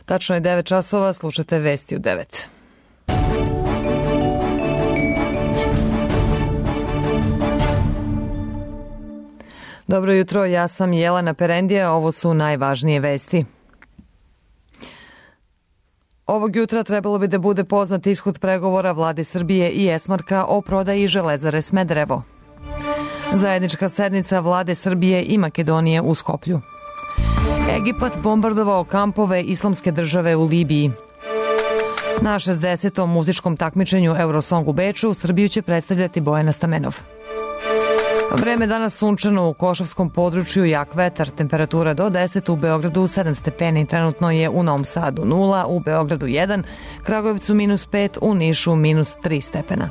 Tačno je 9 časova, slušate vesti u 9. Dobro jutro, ja sam Jelena Perendija, ovo su najvažnije vesti. Ovog jutra trebalo bi da bude poznat ishod pregovora Vlade Srbije i Esmarka o prodaji Železare Smederevo. Zajednička sednica Vlade Srbije i Makedonije u Skoplju. Egipat bombardovao kampove Islamske države u Libiji. Na 60. muzičkom takmičenju Eurosong u Beču Srbiju će predstavljati Bojana Stamenov. Vreme danas sunčano u Košavskom području, jak vetar, temperatura do 10, u Beogradu 7 stepeni, trenutno je u Novom Sadu 0, u Beogradu 1, Kragujevcu -5, u Nišu -3 stepena.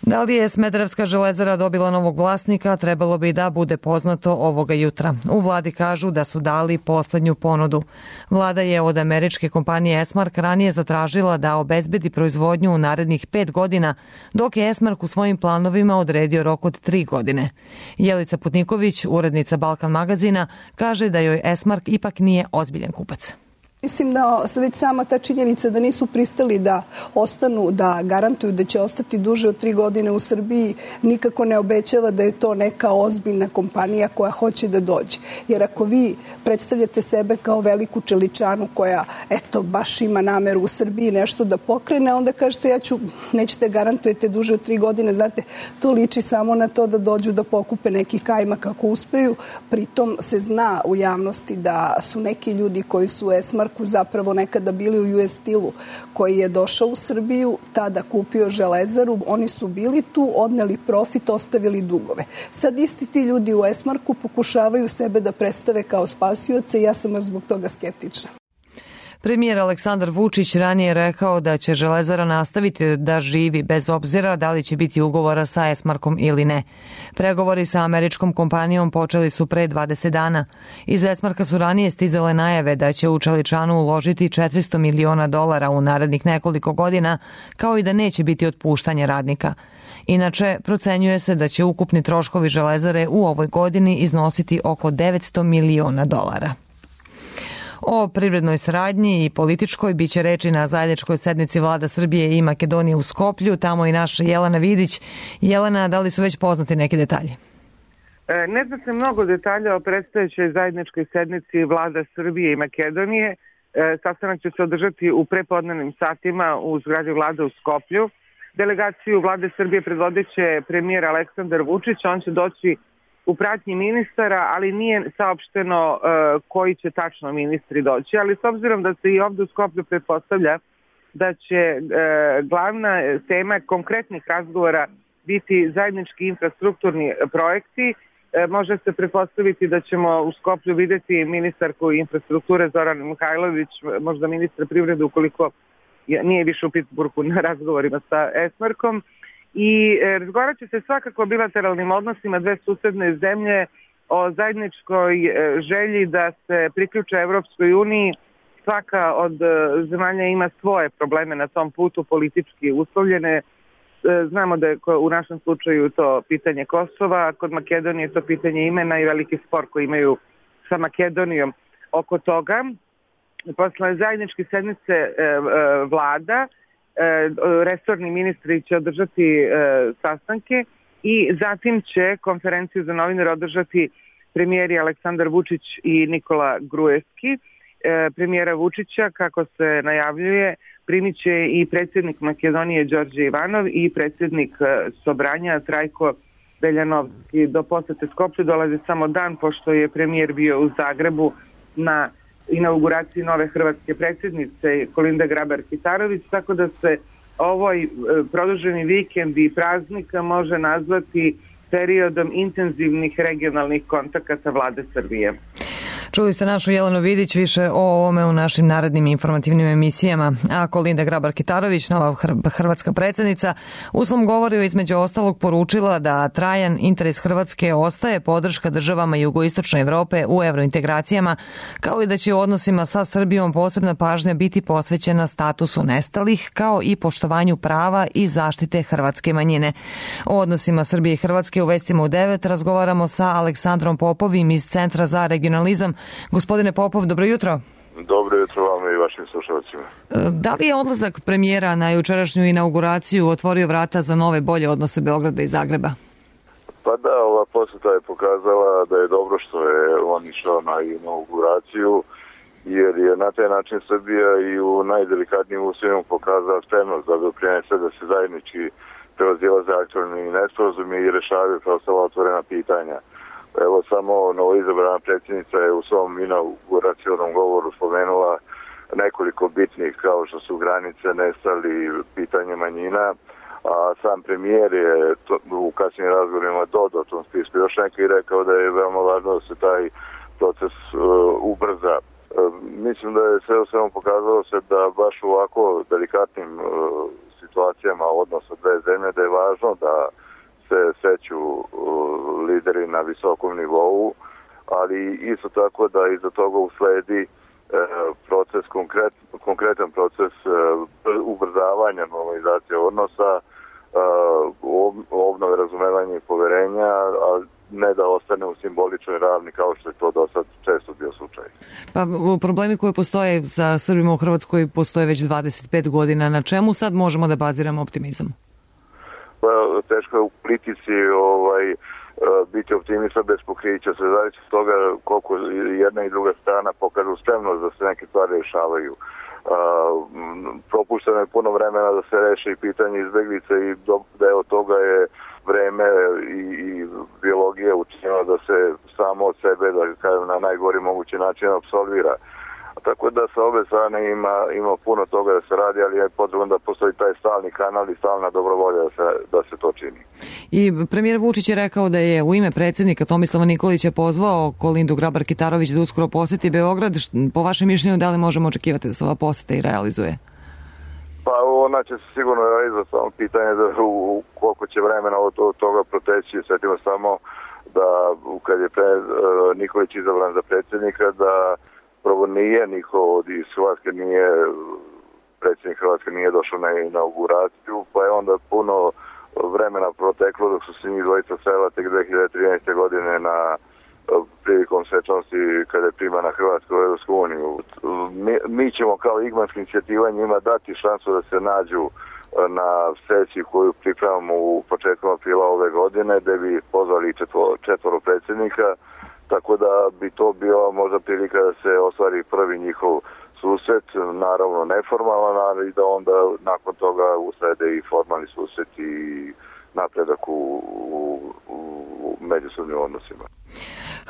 Da li je Smederevska železara dobila novog vlasnika, trebalo bi da bude poznato ovoga jutra. U vladi kažu da su dali poslednju ponudu. Vlada je od američke kompanije Esmark ranije zatražila da obezbedi proizvodnju u narednih 5 godina, dok je Esmark u svojim planovima odredio rok od 3 godine. Jelica Putniković, urednica Balkan magazina, kaže da joj Esmark ipak nije ozbiljan kupac. Mislim da već sama ta činjenica da nisu pristali da ostanu, da garantuju da će ostati duže od 3 godine u Srbiji, nikako ne obećava da je to neka ozbiljna kompanija koja hoće da dođe. Jer ako vi predstavljate sebe kao veliku čeličanu koja, eto, baš ima nameru u Srbiji nešto da pokrene, onda kažete nećete garantujete duže od 3 godine, znate, to liči samo na to da dođu da pokupe neki kajmak kako uspeju. Pritom se zna u javnosti da su neki ljudi koji su Esmark zapravo nekada bili u US Steelu, koji je došao u Srbiju, tada kupio železaru, oni su bili tu, odneli profit, ostavili dugove. Sad isti ti ljudi u Esmarku pokušavaju sebe da predstave kao spasioce i ja sam zbog toga skeptična. Premijer Aleksandar Vučić ranije rekao da će železara nastaviti da živi bez obzira da li će biti ugovora sa Esmarkom ili ne. Pregovori sa američkom kompanijom počeli su pre 20 dana. Iz Esmarka su ranije stizale najave da će u čeličanu uložiti $400 miliona u narednih nekoliko godina, kao i da neće biti otpuštanja radnika. Inače, procenjuje se da će ukupni troškovi železare u ovoj godini iznositi oko $900 miliona. O privrednoj saradnji i političkoj biće reči na zajedničkoj sednici Vlada Srbije i Makedonije u Skoplju, tamo i naša Jelena Vidić. Jelena, da li su već poznati neki detalji? Ne zna se mnogo detalja o predstojećoj zajedničkoj sednici Vlada Srbije i Makedonije. Sastanak će se održati u prepodnevnim satima u zgradi Vlade u Skoplju. Delegaciju Vlade Srbije predvodit će premijer Aleksandar Vučić, on će doći u pratnji ministara, ali nije saopšteno koji će tačno ministri doći. Ali s obzirom da se i ovdje u Skoplju pretpostavlja da će glavna tema konkretnih razgovora biti zajednički infrastrukturni projekti, može se pretpostaviti da ćemo u Skoplju vidjeti ministarku infrastrukture Zoranu Mihajlović, možda ministra privrede ukoliko nije više u Pittsburghu na razgovorima sa Esmarkom. I razgovarat će se svakako o bilateralnim odnosima dve susedne zemlje, o zajedničkoj želji da se priključe Evropskoj uniji. Svaka od zemalja ima svoje probleme na tom putu, politički uslovljene. Znamo da je u našem slučaju to pitanje Kosova, kod Makedonije je to pitanje imena i veliki spor koji imaju sa Makedonijom oko toga. Posle zajedničke sednice vlada, resorni ministri će održati sastanke i zatim će konferenciju za novinare održati premijeri Aleksandar Vučić i Nikola Gruevski. Premijera Vučića, kako se najavljuje, primit će i predsjednik Makedonije Đorđe Ivanov i predsjednik Sobranja Trajko Veljanovski. Do posete Skoplju dolazi samo dan pošto je premijer bio u Zagrebu na inauguraciji nove hrvatske predsjednice Kolinde Grabar-Kitarović, tako da se ovoj produženi vikend i praznika može nazvati periodom intenzivnih regionalnih kontakata Vlade Srbije. Čuli ste našu Jelenu Vidić, više o ovome u našim narednim informativnim emisijama. A Kolinda Grabar-Kitarović, nova hrvatska predsjednica, u svom govoru je između ostalog poručila da trajan interes Hrvatske ostaje podrška državama jugoistočne Evrope u evrointegracijama, kao i da će u odnosima sa Srbijom posebna pažnja biti posvećena statusu nestalih, kao i poštovanju prava i zaštite hrvatske manjine. O odnosima Srbije i Hrvatske u Vestima u 9 razgovaramo sa Aleksandrom Popovim iz Centra za regionalizam. Gospodine Popov, dobro jutro. Dobro jutro vam i vašim slušalcima. Da li je odlazak premijera na jučerašnju inauguraciju otvorio vrata za nove bolje odnose Beograda i Zagreba? Pa da, ova posjeta je pokazala da je dobro što je on išao na inauguraciju, jer je na taj način Srbija i u najdelikatnijim uslovima pokazala spremnost da doprinese da se zajednički prevazilaze aktualni nesporazumi i rešavaju preostala otvorena pitanja. Evo, samo novoizabrana predsjednica je u svom inauguracionom govoru spomenula nekoliko bitnih, kao što su granice, nestali, pitanje manjina, a sam premijer je u kasnijim razgovorima dodao tom spisku još neki i rekao da je veoma važno da se taj proces ubrza. Mislim da je sve u svemu pokazalo se da baš u ovako delikatnim situacijama odnosa dve zemlje da je važno da se seću lideri na visokom nivou, ali isto tako da iza toga usledi proces, konkretan proces ubrzavanja normalizacije odnosa, obnove razumevanja i poverenja, a ne da ostane u simboličnoj ravni kao što je to do sad često bio slučaj. Pa problemi koji postoje za Srbima u Hrvatskoj postoje već 25 godina. Na čemu sad možemo da baziramo optimizam? Pa, teško je u politici biti optimista bez pokrića. Sve zavisi od toga koliko jedna i druga strana pokažu spremnost da se neke stvari rešavaju. Propušteno je puno vremena da se reše i pitanje izbeglice i deo toga je vreme i biologija učinila da se samo od sebe, da kažem, na najgori mogući način apsolvira. Tako da sa obe strane ima puno toga da se radi, ali je potrebno da postoji taj stalni kanal i stalna dobrovolja da se to čini. I premijer Vučić je rekao da je u ime predsjednika Tomislava Nikolića pozvao Kolindu Grabar-Kitarović da uskoro poseti Beograd. Po vašem mišljenju, da li možemo očekivati da se ova poseta i realizuje? Pa ona će se sigurno realizovati, samo pitanje da koliko će vremena od toga proteći. Sjetimo samo da kad je Nikolić izabran za predsjednika, da prvo nije niko iz Hrvatske, predsjednik Hrvatske nije došao na inauguraciju, pa je onda puno vremena proteklo dok su se njih dvojica sela tek 2013. godine na prilikom svečanosti kada je primana Hrvatska u Europsku uniju. Mi ćemo kao igmanska inicijativa njima dati šansu da se nađu na sesiji koju pripremamo u početkom aprila ove godine, gde bi pozvali četvoro predsjednika, tako da bi to bila možda prilika da se ostvari prvi njihov susret, naravno neformalan, ali da onda nakon toga uslede i formalni susret i napredak u međusobnim odnosima.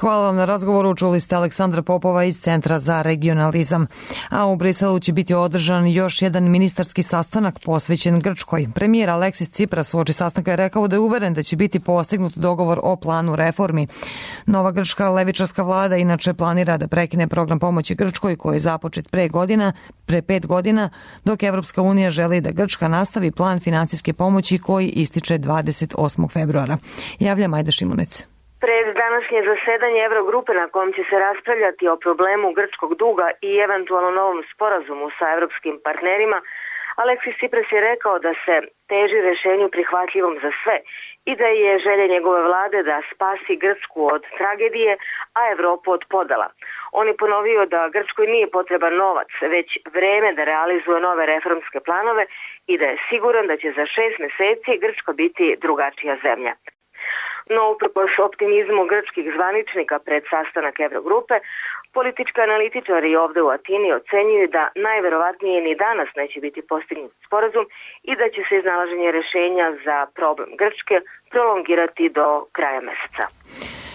Hvala vam na razgovoru. Čuli ste Aleksandra Popova iz Centra za regionalizam. A u Briselu će biti održan još jedan ministarski sastanak posvećen Grčkoj. Premijer Aleksis Tsipras uoči sastanka je rekao da je uveren da će biti postignut dogovor o planu reformi. Nova grčka levičarska vlada inače planira da prekine program pomoći Grčkoj koji je započet pre 5 godina, dok Evropska unija želi da Grčka nastavi plan finansijske pomoći koji ističe 28. februara. Javlja Majda Šimunec. Pred današnje zasedanje Eurogrupe na kom će se raspravljati o problemu grčkog duga i eventualno novom sporazumu sa evropskim partnerima, Aleksis Tsipras je rekao da se teži rešenju prihvatljivom za sve i da je želja njegove vlade da spasi Grčku od tragedije, a Evropu od podela. On je ponovio da Grčkoj nije potreban novac, već vreme da realizuje nove reformske planove i da je siguran da će za 6 meseci Grčka biti drugačija zemlja. No, uprkos optimizmu grčkih zvaničnika pred sastanak Eurogrupe, politički analitičari ovde u Atini ocenjuju da najverovatnije ni danas neće biti postignut sporazum i da će se iznalaženje rešenja za problem Grčke prolongirati do kraja meseca.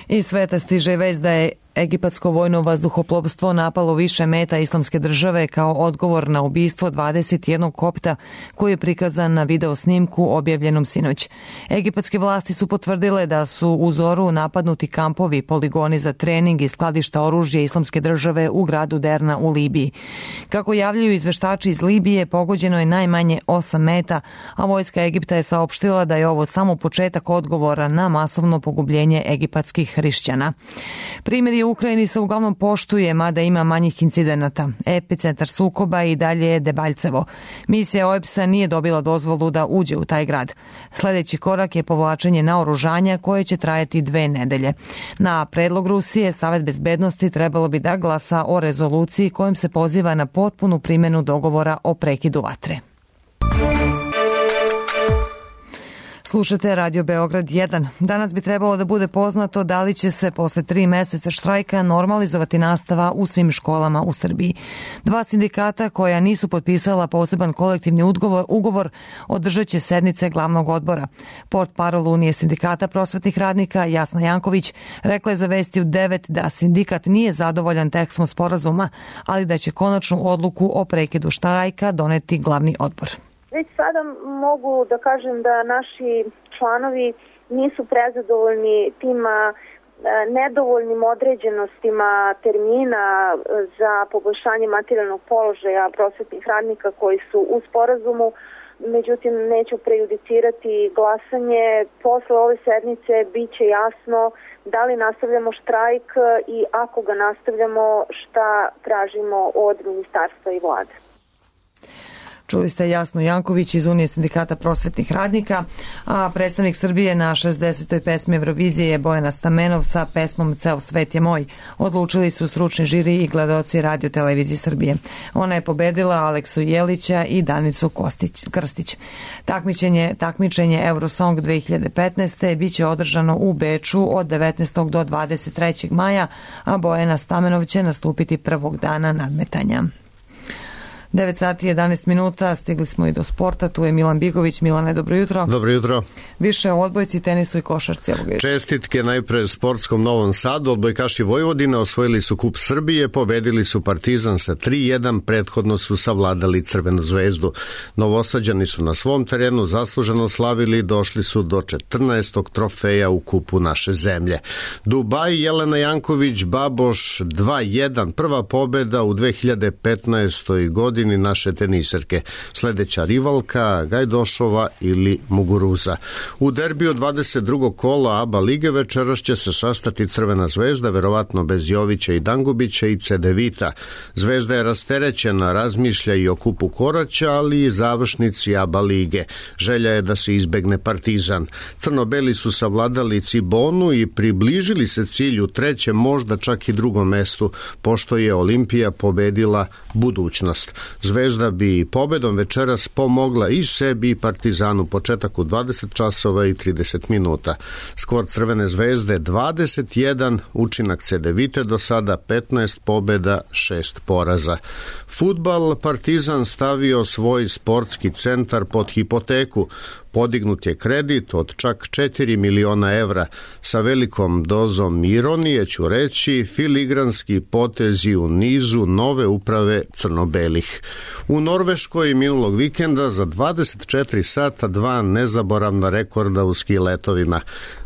Iz sveta stiže vest da je egipatsko vojno vazduhoplovstvo napalo više meta Islamske države kao odgovor na ubistvo 21 kopta koji je prikazan na video snimku objavljenom sinoć. Egipatske vlasti su potvrdile da su u zoru napadnuti kampovi, poligoni za trening i skladišta oružja Islamske države u gradu Derna u Libiji. Kako javljaju izveštači iz Libije, pogođeno je najmanje 8 meta, a vojska Egipta je saopštila da je ovo samo početak odgovora na masovno pogubljenje egipatskih hrišćana. Primjeri u Ukrajini se uglavnom poštuje, mada ima manjih incidenata. Epicentar sukoba i dalje je Debaljcevo. Misija OEBS-a nije dobila dozvolu da uđe u taj grad. Sljedeći korak je povlačenje naoružanja koje će trajati 2 nedelje. Na predlog Rusije, Savet bezbednosti trebalo bi da glasa o rezoluciji kojom se poziva na potpunu primjenu dogovora o prekidu vatre. Slušate Radio Beograd 1. Danas bi trebalo da bude poznato da li će se posle 3 meseca štrajka normalizovati nastava u svim školama u Srbiji. 2 sindikata koja nisu potpisala poseban kolektivni ugovor održat će sednice glavnog odbora. Portparol Unije sindikata prosvetnih radnika Jasna Janković rekla je za Vesti u 9 da sindikat nije zadovoljan tekstom sporazuma, ali da će konačnu odluku o prekidu štrajka doneti glavni odbor. Već sada mogu da kažem da naši članovi nisu prezadovoljni tima nedovoljnim određenostima termina za poboljšanje materijalnog položaja prosvetnih radnika koji su u sporazumu. Međutim, neću prejudicirati glasanje. Posle ove sednice bit će jasno da li nastavljamo štrajk i ako ga nastavljamo, šta tražimo od ministarstva i vlade. Čuli ste Jasnu Janković iz Unije sindikata prosvetnih radnika, a predstavnik Srbije na 60. pesmi Eurovizije je Bojana Stamenov sa pesmom Ceo svet je moj. Odlučili su stručni žiri i gledaoci Radio televizije Srbije. Ona je pobedila Aleksu Jelića i Danicu Krstić. Takmičenje Eurosong 2015. biće održano u Beču od 19. do 23. maja, a Bojana Stamenov će nastupiti prvog dana nadmetanja. 9 sati 11 minuta, stigli smo i do sporta, tu je Milan Bigović. Milane, dobro jutro. Dobro jutro. Više o odbojci, tenisu i košarci ovog jutra. Čestitke najpre sportskom Novom Sadu. Odbojkaši Vojvodine osvojili su Kup Srbije, pobedili su Partizan sa 3-1, prethodno su savladali Crvenu zvezdu. Novosađani su na svom terenu zasluženo slavili i došli su do 14. trofeja u Kupu naše zemlje. Dubaj, Jelena Janković, Baboš 2-1, prva pobeda u 2015. godini naše teniserke. Sljedeća rivalka Gajdošova ili Muguruza. U derbiju 22. kola ABA lige večeras će se sastati Crvena zvezda, verovatno bez Jovića i Dangubića i Cedevita. Zvezda je rasterećena, razmišlja i o Kupu Koraća, ali i završnici ABA lige. Želja je da se izbegne Partizan. Crno-beli su savladali Cibonu i približili se cilju, trećem, možda čak i drugom mestu, pošto je Olimpija pobedila budućnost. Zvezda bi pobedom večeras pomogla i sebi i Partizanu, početak u 20 časova i 30 minuta. Skor Crvene zvezde 21, učinak Cedevite do sada 15 pobeda, 6 poraza. Fudbal, Partizan stavio svoj sportski centar pod hipoteku. Podignut je kredit od čak 4 miliona evra. Sa velikom dozom ironije ću reći, filigranski potezi u nizu nove uprave crno-belih. U Norveškoj minulog vikenda za 24 sata 2 nezaboravna rekorda u ski letovima.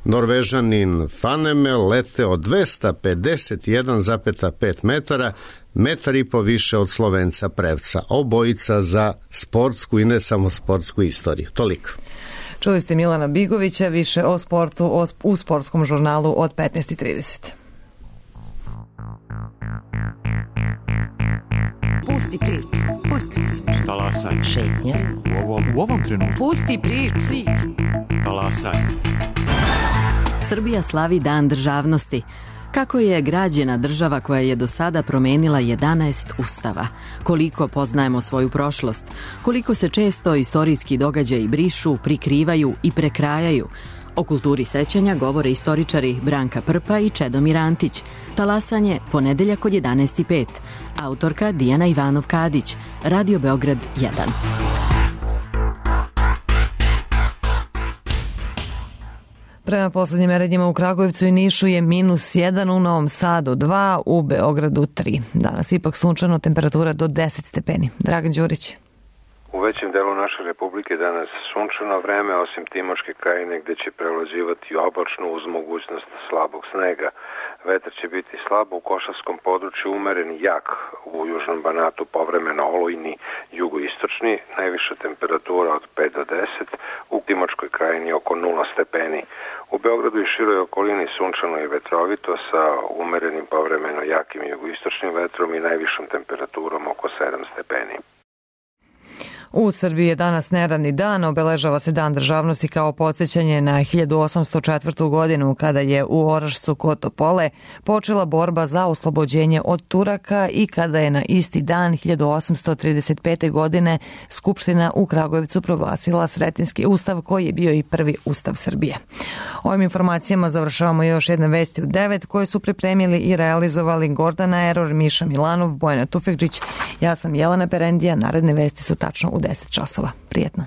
Norvežanin Fanemel leteo 251,5 metara, 1,5 više od Slovenca Prevca. Obojica za sportsku i ne samo sportsku istoriju. Toliko. Čuli ste Milana Bigovića, više o sportu u sportskom žurnalu od 15:30. Pusti priču. Talasaj. Šetnja. U ovom trenutku. Pusti priču. Talasaj. Srbija slavi Dan državnosti. Kako je građena država koja je do sada promenila 11 ustava? Koliko poznajemo svoju prošlost? Koliko se često istorijski događaji brišu, prikrivaju i prekrajaju? O kulturi sećanja govore istoričari Branka Prpa i Čedomir Antić. Talasanje, ponedeljak od 11:05. Autorka Dijana Ivanov-Kadić. Radio Beograd 1. Prema poslednjim merenjima u Kragujevcu i Nišu je -1, u Novom Sadu 2, u Beogradu 3. Danas ipak sunčano, temperatura do 10 stepeni. Dragan Đurić. U većem delu naše republike danas sunčano vreme, osim Timočke krajine gde će prevlađivati oblačno uz mogućnost slabog snega. Vetar će biti slab, u Košavskom području umeren jak, u Južnom Banatu povremeno olujni, jugoistočni, najviša temperatura od 5 do 10, u Timočkoj krajini oko 0 stepeni. U Beogradu i široj okolini sunčano i vetrovito sa umerenim povremeno jakim jugoistočnim vetrom i najvišom temperaturom oko 7 stepeni. U Srbiji je danas neradni dan, obeležava se Dan državnosti kao podsjećanje na 1804. godinu kada je u Orašcu kod Topole počela borba za oslobođenje od Turaka i kada je na isti dan 1835. godine Skupština u Kragujevcu proglasila Sretenjski ustav koji je bio i prvi ustav Srbije. Ovim informacijama završavamo još jedne vesti u 9 koje su pripremili i realizovali Gordana Eror, Miša Milanov, Bojana Tufekđić. Ja sam Jelena Perendija, naredne vesti su tačno u 10 časova. Prijetno.